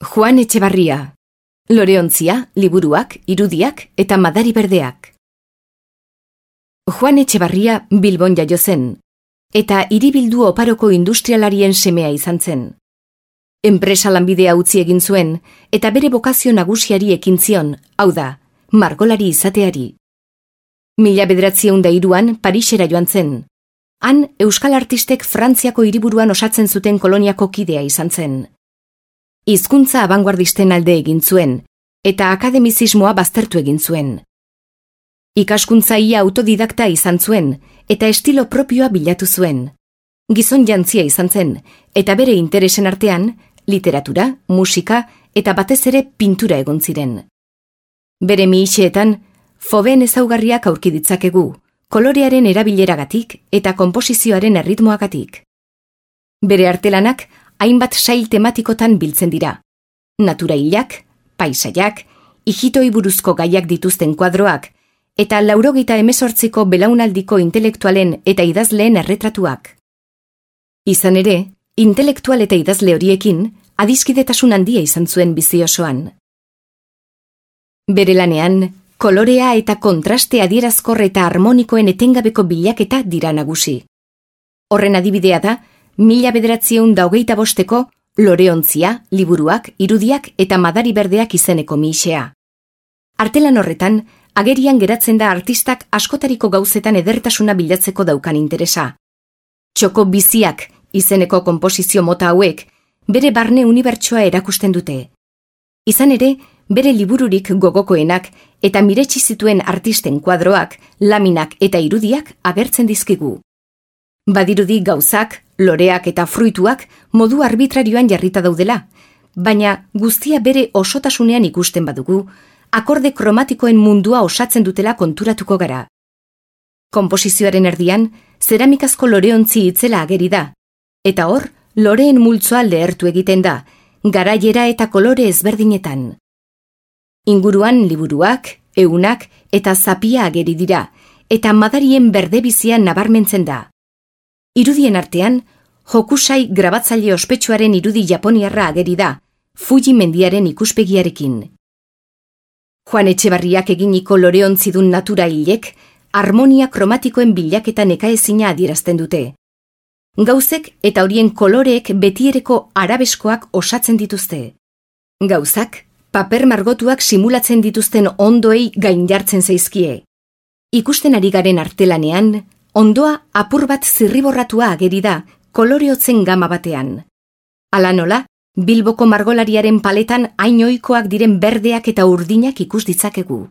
Juan Etxebarria. Loreontzia, liburuak, irudiak eta madari berdeak. Juan Etxebarria Bilbon jaio zen, eta hiribildu oparoko industrialarien semea izan zen. Enpresa lanbidea utzi egin zuen, eta bere bokazio nagusiari ekin zion, hau da, margolari izateari. 1903an Parisera joan zen. Han, euskal artistek Frantziako hiriburuan osatzen zuten koloniako kidea izan zen. Hizkuntza abanguardisten alde egin zuen, eta akademizismoa baztertu egin zuen. Ikaskuntza ia autodidakta izan zuen, eta estilo propioa bilatu zuen. Gizon jantzia izan zen, eta bere interesen artean, literatura, musika eta batez ere pintura egon ziren. Bere mihitxeetan, fobeen ezaugarriak aurki ditzakegu, kolorearen erabileragatik eta konposizioaren erritmoagatik. Bere artelanak hainbat sail tematikotan biltzen dira. Natura hilak, paisaiak, ijitoi buruzko gaiak dituzten kuadroak, eta 98ko belaunaldiko intelektualen eta idazleen erretratuak. Izan ere, intelektual eta idazle horiekin adiskidetasun handia izan zuen bizi osoan. Bere lanean, kolorea eta kontraste adierazkor eta harmonikoen etengabeko bilaketa dira nagusi. Horren adibidea da, 1925ko Loreontzia, liburuak, irudiak eta madari berdeak izeneko mihixea. Artelan horretan, agerian geratzen da artistak askotariko gauzetan edertasuna bilatzeko daukan interesa. Txoko biziak izeneko konposizio mota hauek, bere barne unibertsoa erakusten dute. Izan ere, bere libururik gogokoenak eta miretsi zituen artisten kuadroak, laminak eta irudiak agertzen dizkigu. Badirudi gauzak, loreak eta fruituak modu arbitrarioan jarrita daudela, baina guztia bere osotasunean ikusten badugu, akorde kromatikoen mundua osatzen dutela konturatuko gara. Konposizioaren erdian, zeramikazko loreontzi itzela ageri da, eta hor, loreen multzoa lehertu egiten da, garaiera eta kolore ezberdinetan. Inguruan liburuak, ehunak eta zapia ageri dira, eta madarien berdebizian nabarmentzen da. Irudien artean, Hokusai grabatzaile ospetsuaren irudi japoniarra ageri da, Fuji mendiaren ikuspegiarekin. Juan Etxebarriak eginiko loreontzidun natura hilek, harmonia kromatikoen bilaketa nekaezina adierazten dute. Gauzek eta horien koloreek betiereko arabeskoak osatzen dituzte. Gauzak, paper margotuak simulatzen dituzten ondoei gain jartzen zaizkie. Ikusten ari garen artelanean, ondoa apur bat zirriborratua ageri da, koloreotzen gama batean. Hala nola, Bilboko margolariaren paletan hain ohikoak diren berdeak eta urdinak ikus ditzakegu.